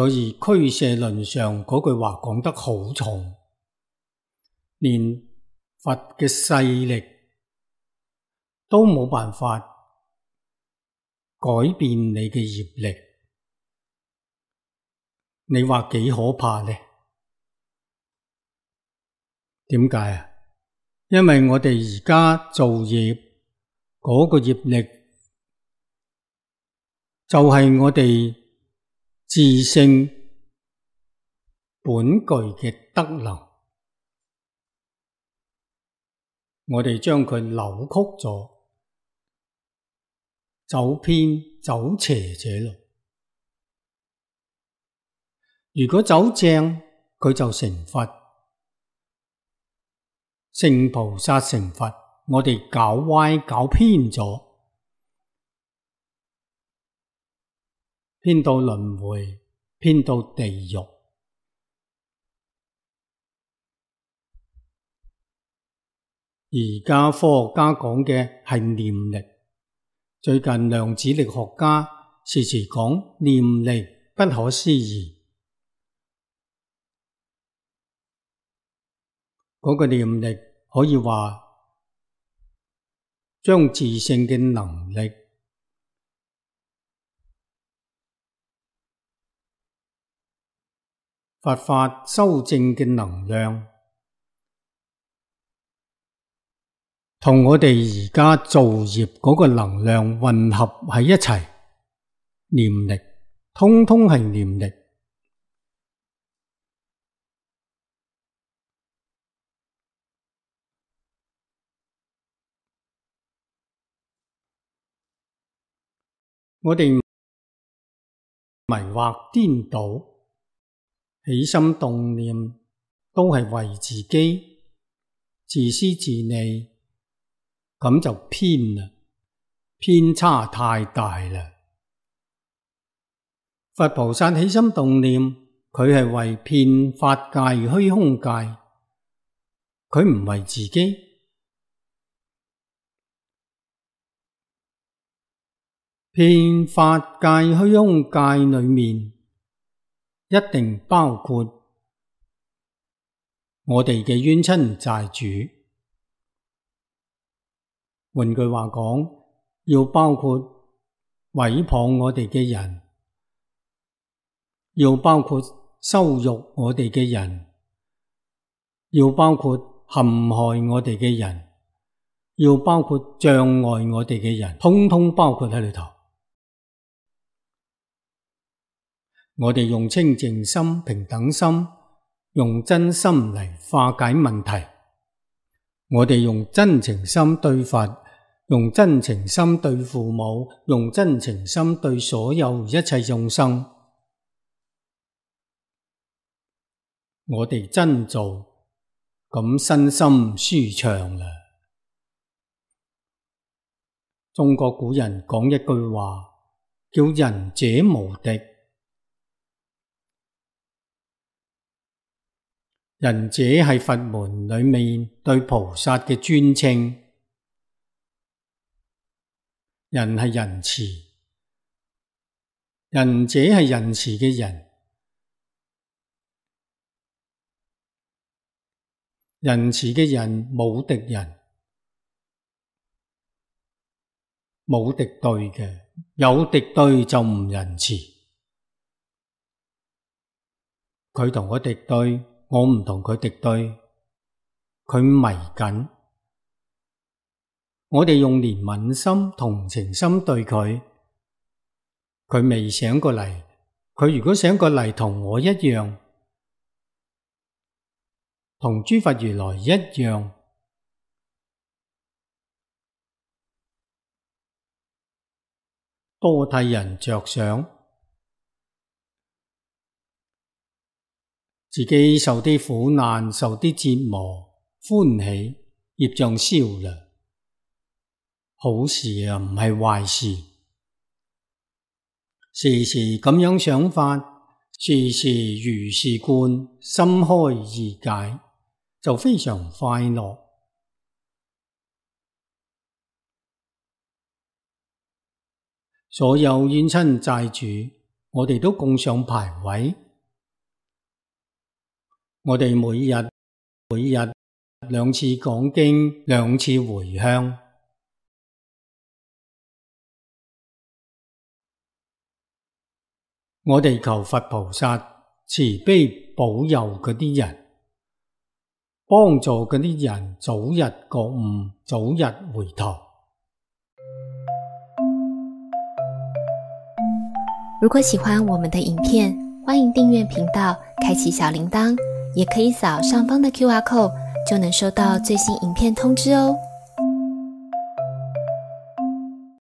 所以俱舍論上嗰句話講得好重，連佛嘅勢力都冇辦法改變你嘅業力，你話幾可怕呢？點解啊？因為我哋而家造業嗰個業力就係我哋自性本具嘅德能，我哋將佢扭曲咗，走偏走邪者路。如果走正，佢就成佛，聖菩薩成佛。我哋搞歪搞偏咗，偏到輪迴，偏到地獄。而家科學家講嘅係念力，最近量子力學家時時講念力不可思議。嗰個念力可以話將自性嘅能力佛法修正嘅能量，同我哋而家造業嗰個能量混合喺一齊，念力，通通係念力。我哋迷惑顛倒，起心動念都係為自己，自私自利，咁就偏啦，偏差太大啦。佛菩薩起心動念，佢係為遍法界虛空界，佢唔為自己。遍法界虛空界裏面，一定包括我哋嘅冤親債主。換句話講，要包括毀謗我哋嘅人，要包括羞辱我哋嘅人，要包括陷害我哋嘅人，要包括障礙我哋嘅人，通通包括喺裏頭。我哋用清淨心、平等心，用真心嚟化解問題。我哋用真情心對佛，用真情心對父母，用真情心對所有一切眾生。我哋真做，咁身心舒暢啦。中國古人講一句話，叫仁者無敵。仁者係佛門裏面對菩薩嘅尊稱，仁係仁慈，仁者係仁慈嘅人，仁慈嘅人冇敵人，冇敵對嘅，有敵對就唔仁慈。佢同我敵對，我唔同佢敵對，佢迷緊，我哋用憐憫心、同情心對佢，佢未醒過嚟，佢如果醒過嚟同我一樣，同諸佛如來一樣，多替人着想，自己受啲苦難，受啲折磨，歡喜，業障消啦，好事啊，唔係壞事。時時咁樣想法，時時如是觀，心開意解，就非常快樂。所有冤親債主我哋都供上牌位。我哋每日2次講經，2次回向。我哋求佛菩薩慈悲保佑嗰啲人，幫助嗰啲人早日覺悟，早日回頭。如果喜歡我們的影片，歡迎訂閱頻道，開啟小鈴鐺，也可以掃上方的QR code，就能收到最新影片通知哦。